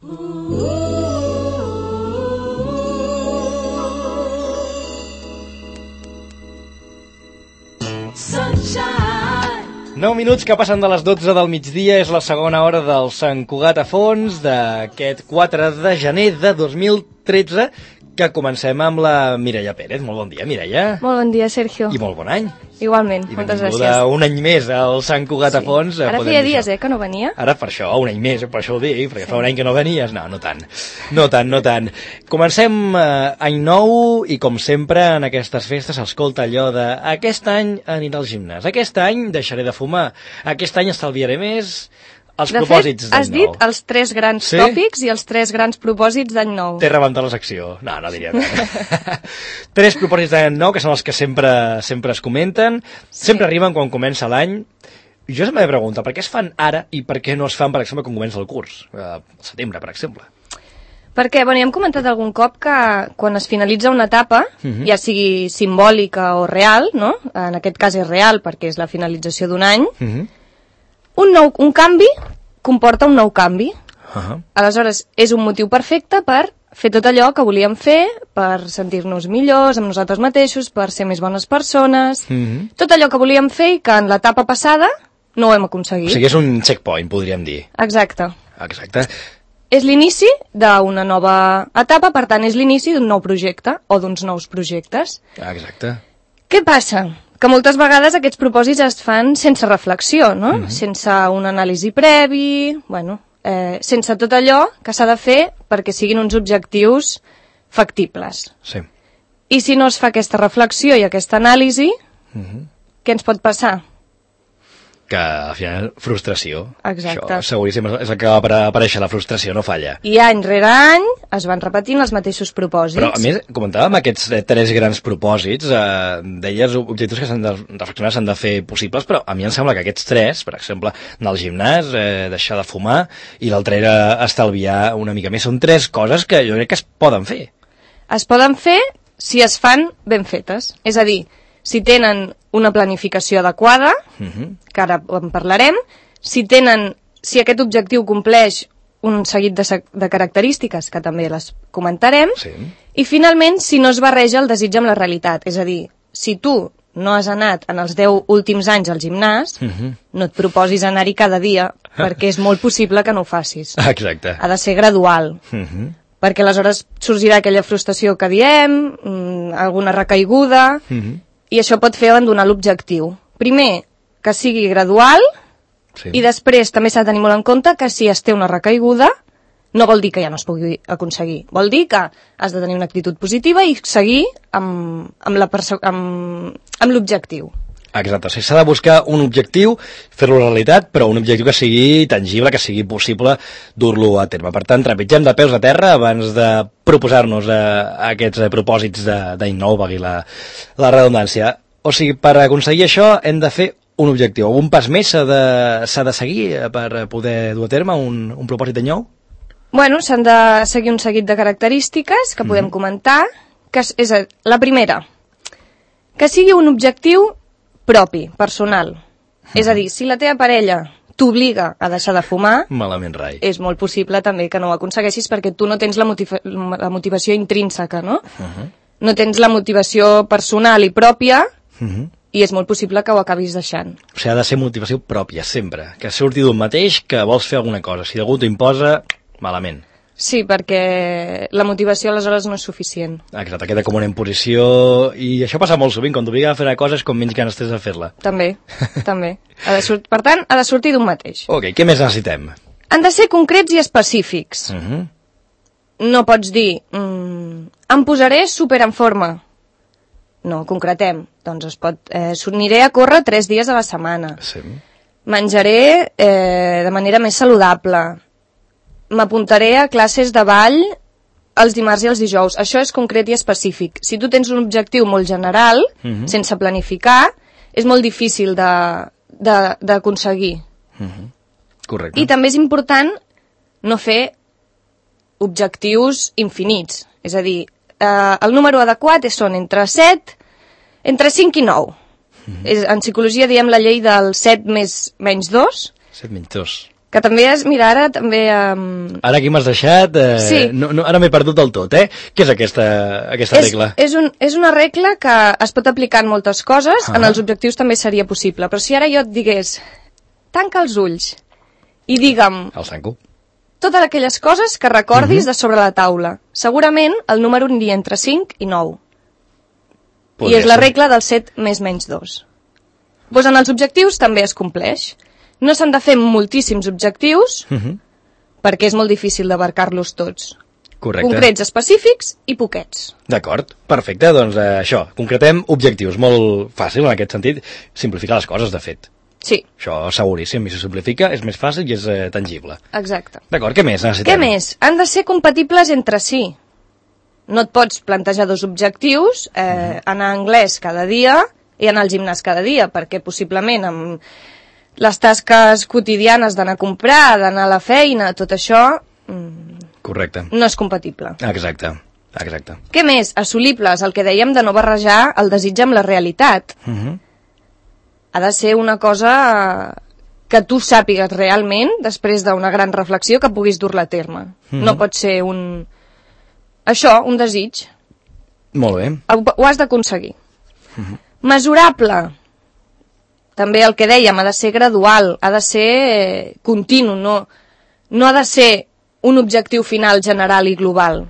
Sunshine. 9 minuts que passen de les 12 del migdia, és la segona hora del Sant Cugat a fons d'aquest 4 de gener de 2013, que comencem amb la Mireia Pérez. Molt bon dia, Mireia. Molt bon dia, Sergio. I molt bon any. Igualment, moltes gràcies. I un any més al Sant Cugat a fons. Ara feia dies, que no venia. Ara per això, un any més, per això ho dic, perquè fa un any que no venies. No, no tant. No tant. Comencem any nou i, com sempre, en aquestes festes s'escolta allò de aquest any aniré al gimnàs, aquest any deixaré de fumar, aquest any estalviaré més. Els propòsits d'any nou. Has dit els 3 grans tòpics i els 3 grans propòsits d'any nou. T'he rebentat la secció. No diria res. 3 propòsits d'any nou, que són els que sempre es comenten, sempre arriben quan comença l'any. Jo sempre me pregunto, per què es fan ara i per què no es fan, per exemple, quan comença el curs? Al setembre, per exemple. Perquè, ja hem comentat algun cop que quan es finalitza una etapa, ja sigui simbòlica o real, no? En aquest cas és real perquè és la finalització d'un any, un canvi comporta un nou canvi. Aleshores, és un motiu perfecte per fer tot allò que volíem fer, per sentir-nos millors amb nosaltres mateixos, per ser més bones persones, tot allò que volíem fer i que en l'etapa passada no ho hem aconseguit. O sigui, és un checkpoint, podríem dir. Exacte. És l'inici d'una nova etapa, per tant, és l'inici d'un nou projecte o d'uns nous projectes. Exacte. Què passa? Que moltes vegades aquests propòsits es fan sense reflexió, no? Sense una anàlisi previ, sense tot allò que s'ha de fer perquè siguin uns objectius factibles. Sí. I si no es fa aquesta reflexió i aquesta anàlisi, què ens pot passar? Que al final, frustració. Exacte. Això seguríssim és el que va aparèixer, la frustració no falla. I any rere any es van repetint els mateixos propòsits. Però a més, comentàvem aquests 3 grans propòsits, deies objectius que s'han de reflexionar, s'han de fer possibles, però a mi em sembla que aquests 3, per exemple, anar al gimnàs, deixar de fumar, i l'altre era estalviar una mica més, són 3 coses que jo crec que es poden fer. Es poden fer si es fan ben fetes, és a dir, si tenen una planificació adequada, que ara en parlarem, si aquest objectiu compleix un seguit de característiques, que també les comentarem, i finalment, si no es barreja el desig amb la realitat. És a dir, si tu no has anat en els 10 últims anys al gimnàs, no et proposis anar-hi cada dia, perquè és molt possible que no ho facis. Exacte. Ha de ser gradual. Perquè aleshores sorgirà aquella frustració que diem, alguna recaiguda, i això pot fer abandonar l'objectiu. Primer, que sigui gradual, i després també s'ha de tenir molt en compte que si es té una recaiguda, no vol dir que ja no es pugui aconseguir. Vol dir que has de tenir una actitud positiva i seguir amb l'objectiu. Exacte, o sigui, s'ha de buscar un objectiu, fer-lo realitat, però un objectiu que sigui tangible, que sigui possible dur-lo a terme. Per tant, trepitgem de peus a terra abans de proposar-nos aquests propòsits d'any nou, valgui la redundància. O sigui, per aconseguir això hem de fer un objectiu. Algun pas més s'ha de seguir per poder dur a terme un propòsit d'any nou? S'han de seguir un seguit de característiques que podem comentar, que és la primera, que sigui un objectiu propi, personal. És a dir, si la teva parella t'obliga a deixar de fumar, malament rai. És molt possible també que no ho aconsegueixis perquè tu no tens la motivació intrínseca, no? No tens la motivació personal i pròpia i és molt possible que ho acabis deixant. O sigui, ha de ser motivació pròpia, sempre. Que surti d'un mateix que vols fer alguna cosa. Si algú t'ho imposa, malament. Sí, perquè la motivació aleshores no és suficient. Exacte, queda com una imposició, i això passa molt sovint, quan t'obliga a fer una cosa és com menys ganes tens de fer-la. També. Per tant, ha de sortir d'un mateix. Ok, què més necessitem? Han de ser concrets i específics. No pots dir, em posaré super en forma. No, concretem. Doncs aniré a córrer 3 dies a la setmana. Sí. Menjaré de manera més saludable. M'apuntaré a classes de ball els dimarts i els dijous. Això és concret i específic. Si tu tens un objectiu molt general, sense planificar, és molt difícil d'aconseguir. Correcte. I també és important no fer objectius infinits. És a dir, el número adequat són entre 5 i 9. En psicologia diem la llei del 7 menys 2. 7 menys 2. Que també és, mira, ara també... Ara aquí m'has deixat... Sí. Ara m'he perdut del tot, eh? Què és aquesta regla? És una regla que es pot aplicar en moltes coses, en els objectius també seria possible, però si ara jo et digués, tanca els ulls i digue'm... El tanco. Totes aquelles coses que recordis de sobre la taula. Segurament el número aniria entre 5 i 9. I és la regla del 7 més menys 2. Doncs en els objectius també es compleix. No s'han de fer moltíssims objectius perquè és molt difícil d'abarcar-los tots. Correcte. Concrets, específics i poquets. D'acord, perfecte. Doncs això, concretem objectius. Molt fàcil en aquest sentit. Simplificar les coses, de fet. Sí. Això seguríssim, i si simplifica és més fàcil i és tangible. Exacte. D'acord, què més necessitem? Què més? Han de ser compatibles entre si. No et pots plantejar 2 objectius, anar a anglès cada dia i anar al gimnàs cada dia, perquè possiblement amb les tasques quotidianes d'anar a comprar, d'anar a la feina, tot això... Correcte. No és compatible. Exacte. Què més? Assolibles, el que dèiem de no barrejar el desig amb la realitat. Ha de ser una cosa que tu sàpigues realment, després d'una gran reflexió, que puguis dur-la a terme. No pot ser un desig. Molt bé. Ho has d'aconseguir. Mesurable. També el que dèiem, ha de ser gradual, ha de ser continu, no ha de ser un objectiu final general i global.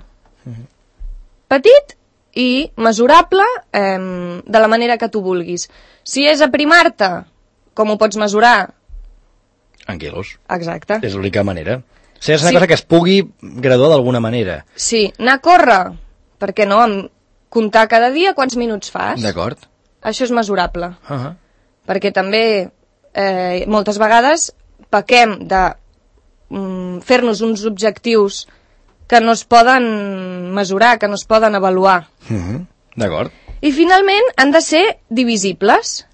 Petit i mesurable de la manera que tu vulguis. Si és aprimar-te, com ho pots mesurar? En quilos. Exacte. És l'única manera. O sigui, és una cosa que es pugui graduar d'alguna manera. Sí, anar a córrer. Per què no? Comptar cada dia quants minuts fas. D'acord. Això és mesurable. Perquè també moltes vegades pequem de fer-nos uns objectius que no es poden mesurar, que no es poden avaluar. D'acord. I finalment han de ser divisibles.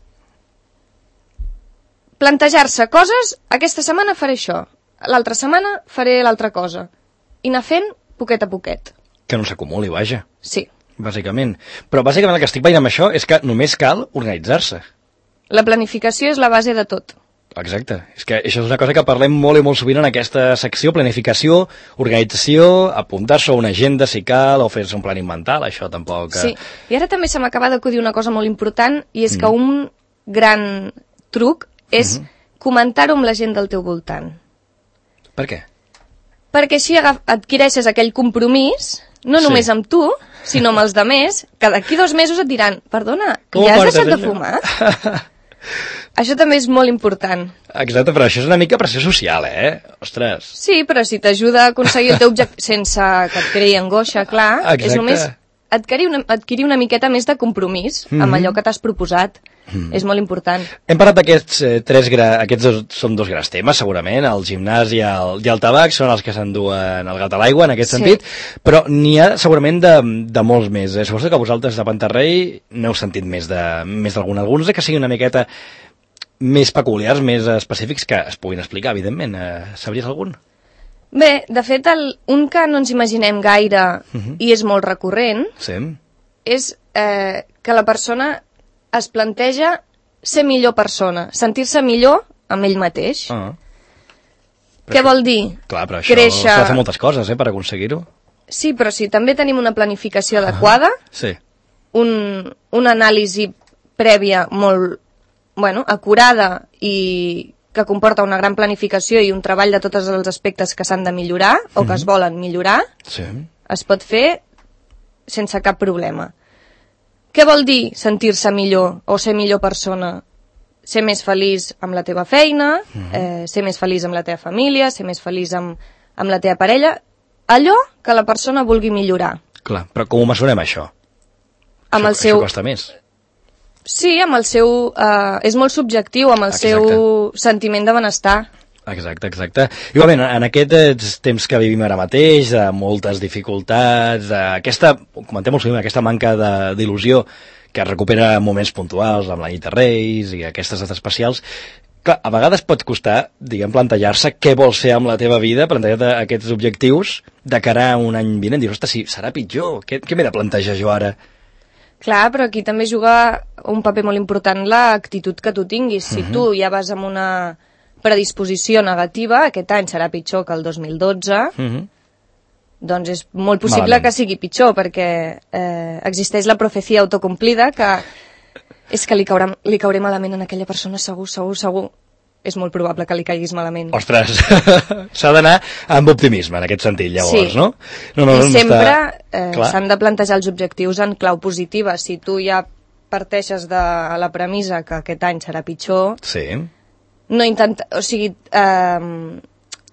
Plantejar-se coses, aquesta setmana faré això, l'altra setmana faré l'altra cosa. I anar fent poquet a poquet. Que no s'acumuli, vaja. Sí. Bàsicament. Però bàsicament el que estic veient amb això és que només cal organitzar-se. La planificació és la base de tot. Exacte. És que això és una cosa que parlem molt i molt sovint en aquesta secció, planificació, organització, apuntar-se a una agenda si cal, o fer-se un planning mental, això tampoc... Sí, i ara també se m'acaba d'acudir una cosa molt important, i és que un gran truc és comentar-ho amb la gent del teu voltant. Per què? Perquè així adquireixes aquell compromís, no només amb tu, sinó amb els demés, que d'aquí 2 mesos et diran, perdona, que ja has deixat de fumar? Això també és molt important. Exacte, però això és una mica pressió social, Ostres. Sí, però si t'ajuda a aconseguir el teu objectiu sense que et creï angoixa, clar, és només adquirir una miqueta més de compromís amb allò que t'has proposat. És molt important. Hem parlat d'aquests aquests són 2 grans temes, segurament, el gimnàs i el tabac, són els que s'enduen el gat a l'aigua, en aquest sentit, però n'hi ha segurament de molts més. Suposo que vosaltres de Pantarrei n'heu sentit més d'algun. Alguns que siguin una miqueta més peculiars, més específics, que es puguin explicar, evidentment. Sabries algun? Bé, de fet, un que no ens imaginem gaire i és molt recurrent és que la persona es planteja ser millor persona, sentir-se millor amb ell mateix. Què vol dir? Clar, però això s'ha de fer moltes coses, per aconseguir-ho. Sí, però si també tenim una planificació adequada, una anàlisi prèvia molt acurada i que comporta una gran planificació i un treball de tots els aspectes que s'han de millorar o que es volen millorar, es pot fer sense cap problema. Què vol dir sentir-se millor o ser millor persona? Ser més feliç amb la teva feina, ser més feliç amb la teva família, ser més feliç amb la teva parella, allò que la persona vulgui millorar. Clar, però com ho mesurem, això? Això costa més. Sí, amb el seu... és molt subjectiu, amb el seu sentiment de benestar. Exacte. Igualment, en aquests temps que vivim ara mateix, de moltes dificultats, comentem molt sovint, aquesta manca d'il·lusió que es recupera en moments puntuals, amb la nit de Reis i aquestes dates especials, clar, a vegades pot costar, plantejar-se què vols fer amb la teva vida, plantejar-te aquests objectius de cara a un any vinent. Dius, ostres, serà pitjor, què m'he de plantejar jo ara? Clar, però aquí també juga un paper molt important l'actitud que tu tinguis. Si tu ja vas amb una predisposició negativa, aquest any serà pitjor que el 2012, doncs és molt possible que sigui pitjor, perquè existeix la profecia autocomplida, que és que li cauré malament a aquella persona, segur. És molt probable que li caiguis malament. Ostres, s'ha d'anar amb optimisme en aquest sentit, llavors, sí. No? I sempre s'han de plantejar els objectius en clau positiva. Si tu ja parteixes de la premissa que aquest any serà pitjor, sí.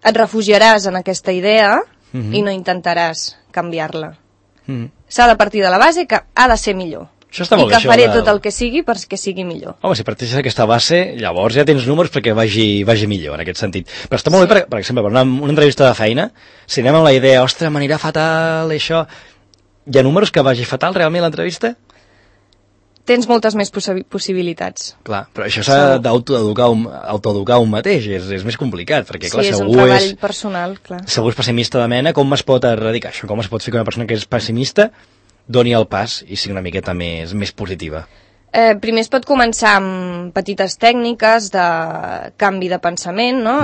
Et refugiaràs en aquesta idea i no intentaràs canviar-la. S'ha de partir de la base que ha de ser millor. I que faré tot el que sigui perquè sigui millor. Home, si parteixes d'aquesta base, llavors ja tens números perquè vagi millor, en aquest sentit. Però està molt bé, per exemple, per una entrevista de feina, si anem amb la idea, ostres, m'anirà fatal, això... Hi ha números que vagi fatal, realment, l'entrevista? Tens moltes més possibilitats. Clar, però això s'ha d'autoeducar un mateix, és més complicat, perquè, clar, és un treball personal, clar. Segur és pessimista de mena, com es pot erradicar això? Com es pot fer que una persona que és pessimista doni el pas i sigui una miqueta més positiva? Primer es pot començar amb petites tècniques de canvi de pensament, no?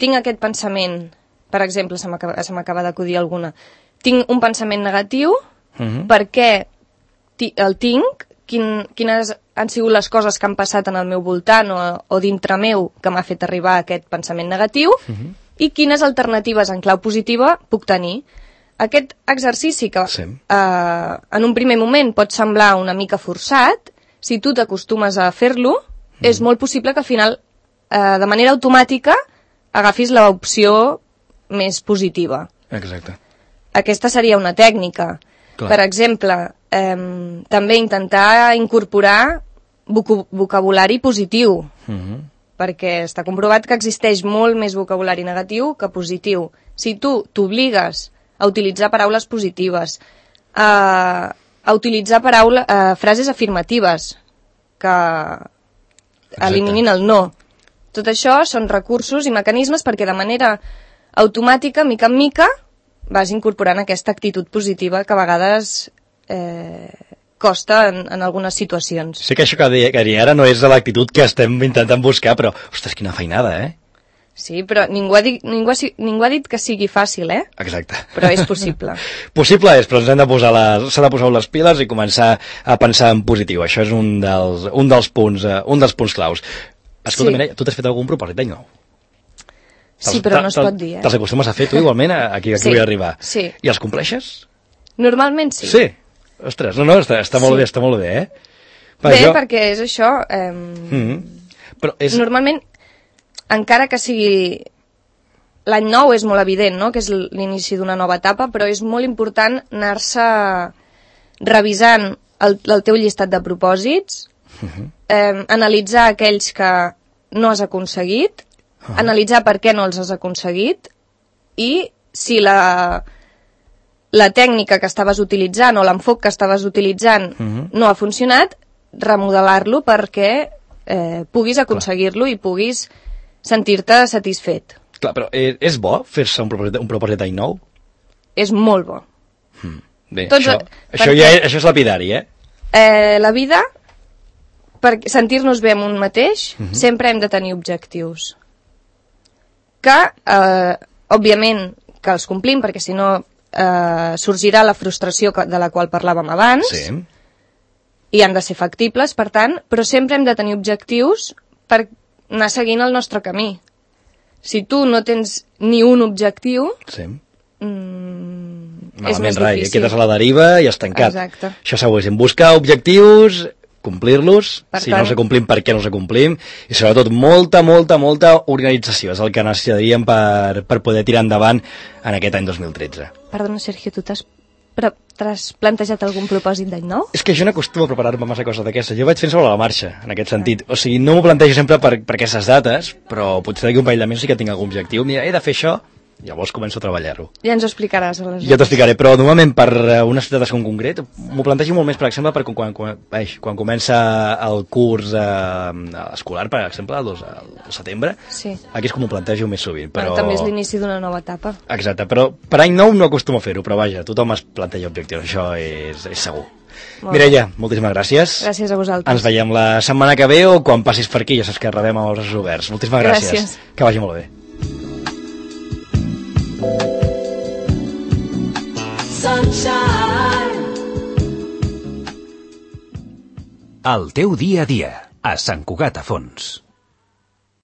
Tinc aquest pensament, per exemple, se m'acaba d'acudir alguna. Tinc un pensament negatiu, per què el tinc, quines han sigut les coses que han passat en el meu voltant o dintre meu que m'ha fet arribar a aquest pensament negatiu, i quines alternatives en clau positiva puc tenir. Aquest exercici que en un primer moment pot semblar una mica forçat, si tu t'acostumes a fer-lo, és molt possible que al final, de manera automàtica, agafis l'opció més positiva. Exacte. Aquesta seria una tècnica. Clar. Per exemple, també intentar incorporar vocabulari positiu, perquè està comprovat que existeix molt més vocabulari negatiu que positiu. Si tu t'obligues a utilitzar paraules positives, a utilitzar frases afirmatives que eliminin el no. Tot això són recursos i mecanismes perquè de manera automàtica, mica en mica, vas incorporant aquesta actitud positiva que a vegades costa en algunes situacions. Sé que això que deia ara no és de l'actitud que estem intentant buscar, però, ostres, quina feinada, Sí, però ningú ha dit que sigui fàcil, Exacte. Però és possible. Possible és, però s'ha de posar les piles i començar a pensar en positiu. Això és un dels punts claus. Escolta, Mireia, tu t'has fet algun propòsit d'any nou? Sí, però no es pot dir, Te'ls acostumes a fer tu igualment aquí vull arribar? Sí. I els compleixes? Normalment sí. Sí? Ostres, no, està molt bé, està molt bé, perquè és això. Però és... Normalment, encara que sigui l'any nou és molt evident, no?, que és l'inici d'una nova etapa, però és molt important anar-se revisant el teu llistat de propòsits, analitzar aquells que no has aconseguit, analitzar per què no els has aconseguit i si la tècnica que estaves utilitzant o l'enfoc que estaves utilitzant no ha funcionat, remodelar-lo perquè puguis aconseguir-lo i puguis sentir-te satisfet. Clar, però és bo fer-se un propòsit d'any nou? És molt bo. Bé, això és lapidari, La vida, per sentir-nos bé amb un mateix, sempre hem de tenir objectius. Que, òbviament, que els complim, perquè si no sorgirà la frustració de la qual parlàvem abans, i han de ser factibles, per tant, però sempre hem de tenir objectius per anar seguint el nostre camí. Si tu no tens ni un objectiu, és més difícil. Quedes a la deriva i has tancat. Exacte. Això segur, és buscar objectius, complir-los, si no s'acomplim, per què no s'acomplim, i sobretot molta organització és el que necessitaríem per poder tirar endavant en aquest any 2013. Perdona, Sergio, tu t'has plantejat algun propòsit d'any nou? És que jo no acostumo a preparar-me massa coses d'aquestes. Jo vaig fent sobre la marxa, en aquest sentit. O sigui, no m'ho plantejo sempre per aquestes dates, però potser d'aquí un parell de mesos sí que tinc algun objectiu. Mira, he de fer això, llavors començo a treballar-ho. Ja ens ho explicaràs, aleshores. Ja t'ho explicaré, però normalment per una ciutat en concret m'ho plantejo molt més, per exemple, per quan comença el curs escolar, per exemple, el setembre. Sí. Aquí és com ho plantejo més sovint. Però... també és l'inici d'una nova etapa. Exacte, però per any nou no acostumo a fer-ho, però vaja, tothom es planteja objectius, això és segur. Mireia, moltíssimes gràcies. Gràcies a vosaltres. Ens veiem la setmana que ve o quan passis per aquí, ja saps que rebem amb els braços oberts. Moltíssimes gràcies. Gràcies. Que vagi molt bé. El teu dia a dia, a Sant Cugat a Fons.